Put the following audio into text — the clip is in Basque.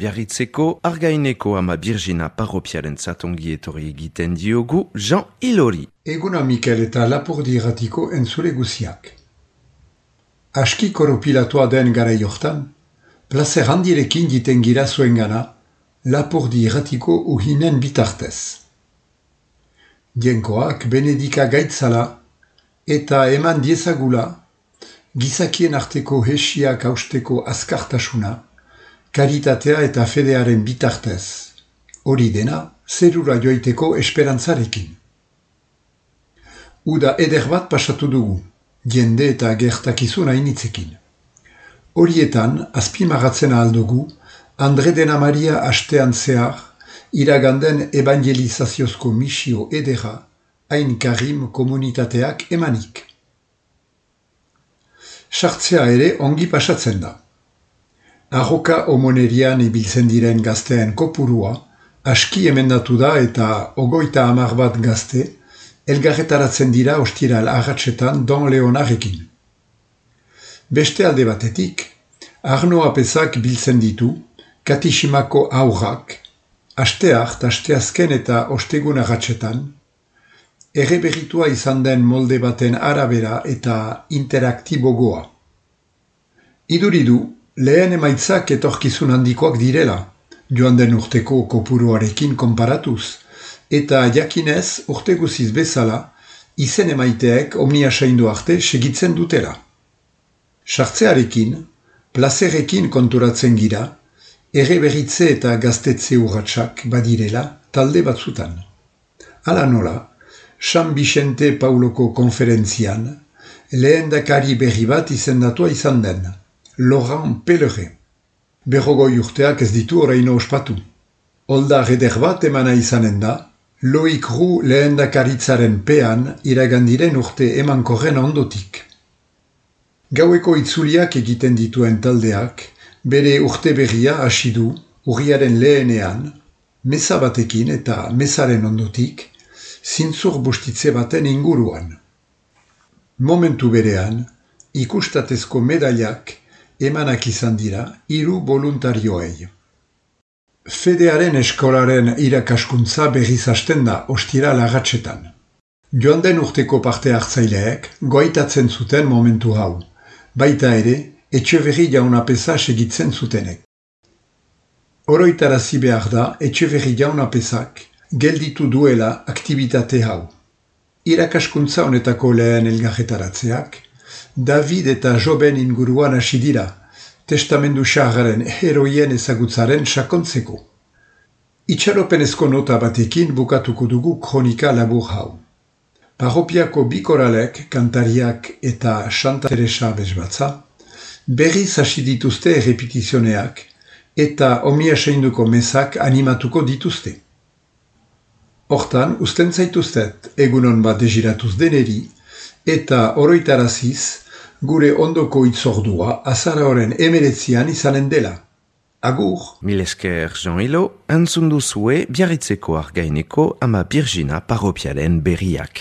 Biarritzeko Argaineko ama Birjina parropiaren zatongi etorri egiten diogu Jean Ilori. Eguna Mikel eta Lapurdi irratiko entzule guziak. Aski koropilatua den gara jortan, plazer handirekin diten gira zuen gana, Lapurdi irratiko uhinen bitartez. Dienkoak Benedika gaitzala eta eman diezagula, gizakien arteko hesiak hausteko azkartasuna, karitatea eta fedearen bitartez. Hori dena, zerura joiteko esperantzarekin. Uda eder bat pasatu dugu, jende eta gertakizun hainitzekin. Horietan, azpimagatzen aldugu, Andre Dena Maria astean zehar, iraganden evangelizaziozko misio edera, hain karim komunitateak emanik. Sartzea ere ongi pasatzen da. Arroka homonerian ibiltzen diren gazteen kopurua, aski emendatu da eta 30 bat gazte, elgarretaratzen dira ostiral agatsetan Don Leonarekin. Beste alde batetik, Arno Apezak biltzen ditu, Katisimako aurrak, asteart, asteazken eta ostegun agatsetan, erreberitua izan den molde baten arabera eta interaktibogoa. Iduridu, lehen emaitzak etorkizun handikoak direla, joan den urteko kopuruarekin konparatuz, eta jakinez urte guziz bezala, izen emaiteek omnia saindu arte segitzen dutela. Sartzearekin, plazerekin konturatzen gira, erreberitze eta gaztetze urratsak badirela talde batzutan. Hala nola, San Vicente Pauloko konferentzian, lehendakari berri bat izendatua izan den, Laurent Pellerin. 40 urteak ez ditu oraino ospatu. Oldar eder bat emana izanen da, Loic Roux lehendakaritzaren pean iragandiren urte emankorren ondotik. Gaueko itzuliak egiten dituen taldeak, bere urte berria hasi du urriaren lehenean, meza batekin eta mezaren ondotik, zintzur bustitze baten inguruan. Momentu berean, ikustatezko medailak emanak izan dira 3 voluntarioei. Fedearen eskolaren irakaskuntza berriz hasten da ostiral agatsetan. Joan den urteko parte hartzaileek goaitatzen zuten momentu hau, baita ere Etxeberri Jaun Apeza segitzen zutenek. Oroitarazi behar da Etxeberri Jaun Apezak gelditu duela aktibitate hau. Irakaskuntza honetako lehen elgarretaratzeak, David eta Joben inguruan hasi dira, testamendu xarraren heroien ezagutzaren sakontzeko. Itxaropenezko nota batekin bukatuko dugu kronika labur hau. Parropiako bikoralek, kantariak eta Santa Teresa bezbatza, berriz hasi dituzte errepitizioneak eta omnia seinduko mezak animatuko dituzte. Hortan, usten zaituztet egunon bat deziratuz deneri eta oroitaraziz gure ondoko itzordua azaroaren 19 izanen dela. Agur! Milesker Jean Ilo, entzun duzue Biarritzeko Argaineko ama Birjina parropiaren berriak.